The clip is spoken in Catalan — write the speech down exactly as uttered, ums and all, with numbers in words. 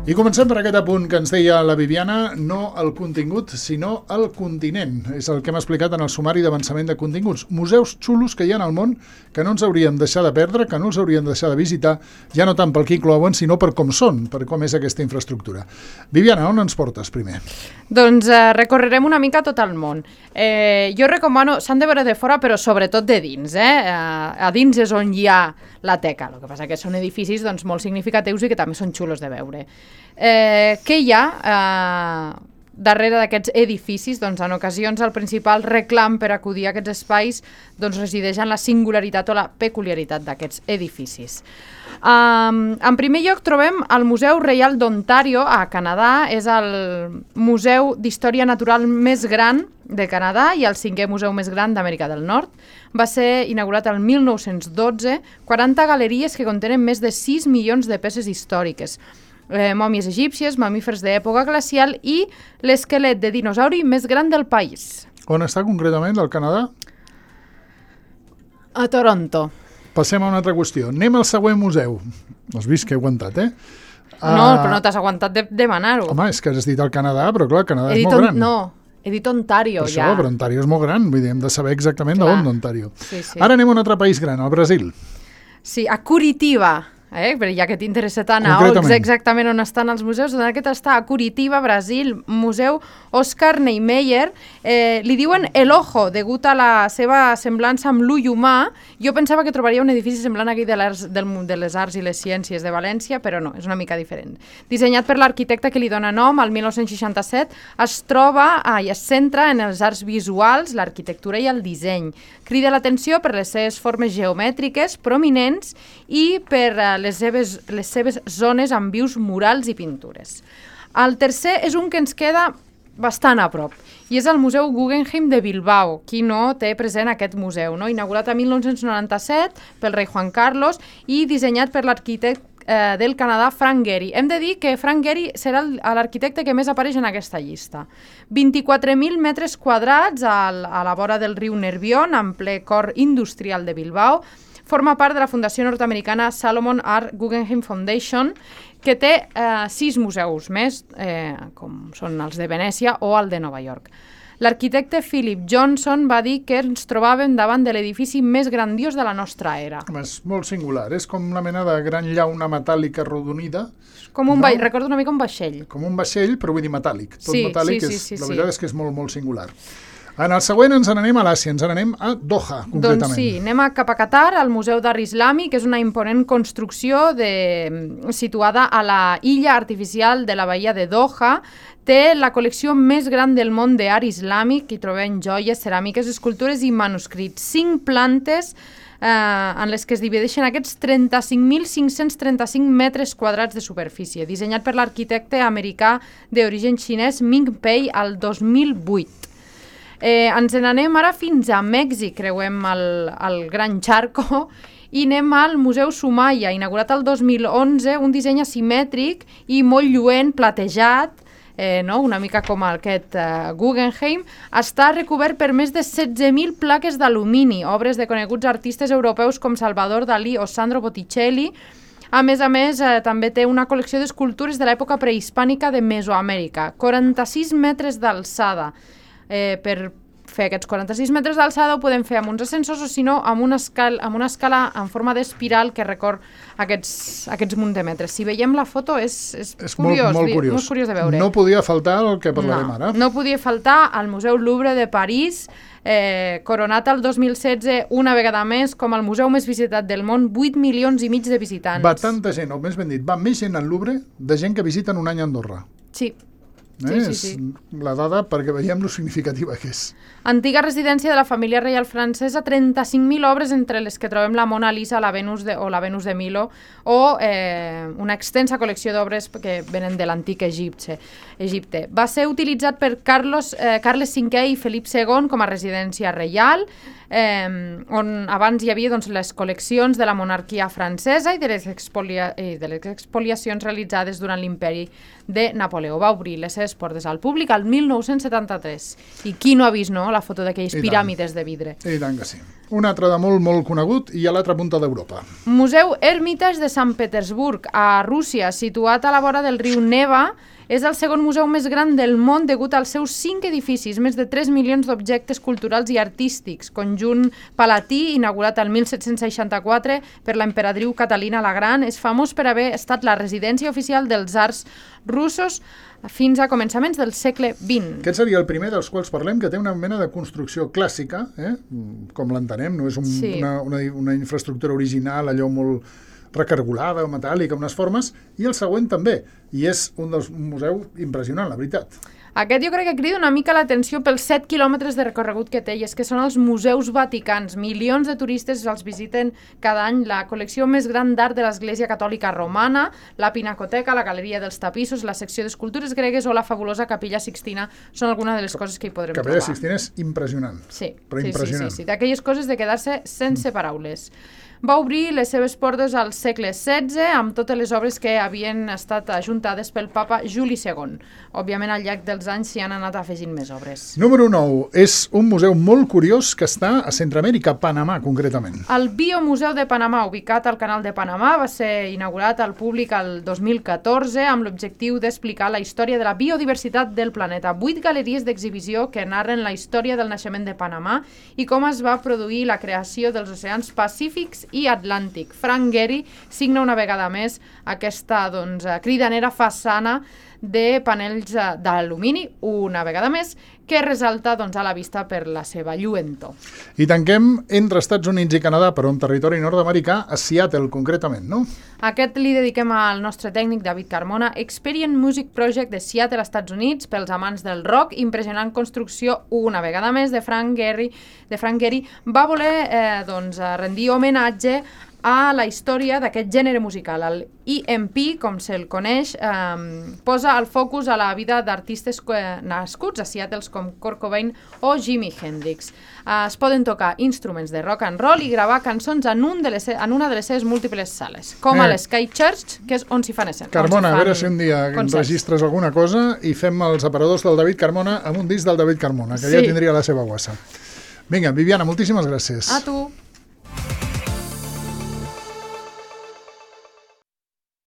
I comencem per aquest apunt que ens deia la Viviana, no el contingut, sinó el continent. És el que hem explicat en el sumari d'avançament de continguts. Museus xulos que hi ha al món que no ens hauríem deixar de perdre, que no els hauríem de deixar de visitar, ja no tant pel que inclouen, sinó per com són, per com és aquesta infraestructura. Viviana, on ens portes primer? Doncs eh, recorrerem una mica tot el món. Eh, jo recomano, s'han de veure de fora, però sobretot de dins. Eh? Eh, a dins és on hi ha la teca. El que passa que són edificis doncs, molt significatius i que també són xulos de veure. Eh, què hi ha eh, darrere d'aquests edificis? Doncs en ocasions el principal reclam per acudir a aquests espais doncs, resideix en la singularitat o la peculiaritat d'aquests edificis. Um, en primer lloc trobem el Museu Reial d'Ontario a Canadà. És el museu d'història natural més gran de Canadà i el cinquè museu més gran d'Amèrica del Nord. Va ser inaugurat el mil nou-cents dotze, quaranta galeries que contenen més de sis milions de peces històriques. Eh, mòmies egípcies, mamífers d'època glacial i l'esquelet de dinosauri més gran del país. On està concretament, el Canadà? A Toronto. Passem a una altra qüestió. Anem al següent museu. Has vist que he aguantat, eh? No, uh... però no t'has aguantat de demanar-ho. Home, és que has dit el Canadà, però clar, el Canadà he és molt gran. No, he dit Ontario, per ja. això, però Ontario és molt gran. Vull dir, hem de saber exactament d'on d'Ontario. Sí, sí. Ara anem a un altre país gran, al Brasil. Sí, a Curitiba. Eh? Però ja que t'interessa tant a exactament on estan els museus, doncs aquest està a Curitiba, Brasil, Museu Oscar Niemeyer. Eh, li diuen El Ojo, degut a la seva semblança amb l'ull humà. Jo pensava que trobaria un edifici semblant aquí de, del, de les arts i les ciències de València, però no, és una mica diferent. Dissenyat per l'arquitecte que li dona nom, el mil nou-cents seixanta-set, es troba ah, i es centra en els arts visuals, l'arquitectura i el disseny. Crida l'atenció per les seves formes geomètriques prominents i per eh, les seves, les seves zones amb vius murals i pintures. El tercer és un que ens queda bastant a prop, i és el Museu Guggenheim de Bilbao. Qui no té present aquest museu, no? Inaugurat a mil nou-cents noranta-set pel rei Juan Carlos i dissenyat per l'arquitecte eh, del Canadà, Frank Gehry. Hem de dir que Frank Gehry serà l'arquitecte que més apareix en aquesta llista. vint-i-quatre mil metres quadrats al, a la vora del riu Nervión, en ple cor industrial de Bilbao. Forma part de la fundació nord-americana Salomon Art Guggenheim Foundation, que té eh, sis museus més, eh, com són els de Venècia o el de Nova York. L'arquitecte Philip Johnson va dir que ens trobàvem davant de l'edifici més grandiós de la nostra era. És molt singular, és com una mena de gran llauna metàl·lica arrodonida. Com un no? va... Recordo una mica un vaixell. Com un vaixell, però vull dir metàl·lic. Tot sí, metàl·lic, sí, sí, és, sí, la sí. veritat és que és molt, molt singular. En el següent ens n'anem a l'Àsia, ens n'anem a Doha, concretament. Doncs sí, anem a cap a Qatar, al Museu d'Art Islàmic, que és una imponent construcció de, situada a la illa artificial de la bahia de Doha. Té la col·lecció més gran del món d'art islàmic, hi trobem joies, ceràmiques, escultures i manuscrits. Cinc plantes eh, en les que es divideixen aquests trenta-cinc mil cinc-cents trenta-cinc metres quadrats de superfície, dissenyat per l'arquitecte americà d'origen xinès Ming Pei al dos mil vuit. Eh, ens n'anem ara fins a Mèxic, creuem el, el Gran Charco i anem al Museu Sumaya, inaugurat el dos mil onze, un disseny asimètric i molt lluent, platejat, eh, no? Una mica com aquest eh, Guggenheim. Està recobert per més de setze mil plaques d'alumini, obres de coneguts artistes europeus com Salvador Dalí o Sandro Botticelli. A més a més, eh, també té una col·lecció d'escultures de l'època prehispànica de Mesoamèrica, quaranta-sis metres d'alçada. Eh, per fer aquests quaranta-sis metres d'alçada ho podem fer amb uns ascensors o si no amb una escala, amb una escala en forma d'espiral que recor aquests, aquests munt de metres. Si veiem la foto és, és, és curiós, molt, molt, curiós. molt curiós de veure. No podia faltar el que parlarem no, ara. No podia faltar al Museu Louvre de París, eh, coronat el dos mil setze una vegada més com el museu més visitat del món, vuit milions i mig de visitants. Va tanta gent, o més ben dit, va més gent al Louvre de gent que visiten un any a Andorra. Sí. Eh? Sí, sí, és sí. la dada perquè veiem lo significativa que és. Antiga residència de la família reial francesa, trenta-cinc mil obres entre les que trobem la Mona Lisa, la Venus de, o la Venus de Milo o eh, una extensa col·lecció d'obres que venen de l'antic Egipte. Egipte. Va ser utilitzat per Carlos, eh, Carles cinquè i Felip segon com a residència reial, eh, on abans hi havia doncs, les col·leccions de la monarquia francesa i de les, expolia, i de les expoliacions realitzades durant l'imperi de Napoleó. Va obrir les seves portes al públic al mil nou-cents setanta-tres. I qui no ha vist no, la foto d'aquelles piràmides de vidre? I tant que sí. Un altre de molt, molt conegut i a l'altra punta d'Europa. Museu Hermitage de Sant Petersburg, a Rússia, situat a la vora del riu Neva. És el segon museu més gran del món degut als seus cinc edificis, més de tres milions d'objectes culturals i artístics. Conjunt palatí, inaugurat el mil set-cents seixanta-quatre per l'emperadriu Catalina la Gran, és famós per haver estat la residència oficial dels arts russos fins a començaments del segle vint. Aquest seria el primer dels quals parlem, que té una mena de construcció clàssica, eh? Com l'entenem, no és un, sí. una, una, una infraestructura original, allò molt recargolada o metàl·lica, unes formes, i el següent també, i és un dels museus impressionant, la veritat. Aquest jo crec que crida una mica l'atenció pels set quilòmetres de recorregut que té, i és que són els museus vaticans. Milions de turistes els visiten cada any. La col·lecció més gran d'art de l'Església Catòlica Romana, la Pinacoteca, la Galeria dels Tapissos, la secció d'escultures gregues o la fabulosa Capella Sixtina són algunes de les coses que hi podrem Capella trobar. Capella Sixtina és impressionant. Sí, però sí, impressionant. sí, sí, sí. D'aquelles coses de quedar-se sense paraules. Va obrir les seves portes al segle setze amb totes les obres que havien estat ajuntades pel papa Juli segon. Òbviament, al llarg dels anys s'hi han anat afegint més obres. Número nou. És un museu molt curiós que està a Centroamèrica, Panamà, concretament. El Biomuseu de Panamà, ubicat al Canal de Panamà, va ser inaugurat al públic el dos mil catorze amb l'objectiu d'explicar la història de la biodiversitat del planeta. Vuit galeries d'exhibició que narren la història del naixement de Panamà i com es va produir la creació dels oceans Pacífics i Atlàntic. Frank Gehry signa una vegada més aquesta doncs, cridanera façana de panells d'alumini, una vegada més, que resalta doncs, a la vista per la seva lluentor. I tanquem entre Estats Units i Canadà, però en territori nord-americà, a Seattle, concretament, no? Aquest li dediquem al nostre tècnic David Carmona. Experience Music Project de Seattle, Estats Units, pels amants del rock, impressionant construcció, una vegada més, de Frank Gehry, de Frank Gehry va voler eh, doncs, rendir homenatge a la història d'aquest gènere musical. El E M P, com se'l coneix, eh, posa el focus a la vida d'artistes nascuts a Seattle com Kurt Cobain o Jimi Hendrix. Eh, es poden tocar instruments de rock and roll i gravar cançons en, un de les, en una de les seves múltiples sales, com a l'Sky Church, que és on s'hi fan escenes. Carmona, a veure si un dia enregistres alguna cosa i fem els aparadors del David Carmona amb un disc del David Carmona, que sí. Ja tindria la seva guassa. Vinga, Viviana, moltíssimes gràcies. A tu.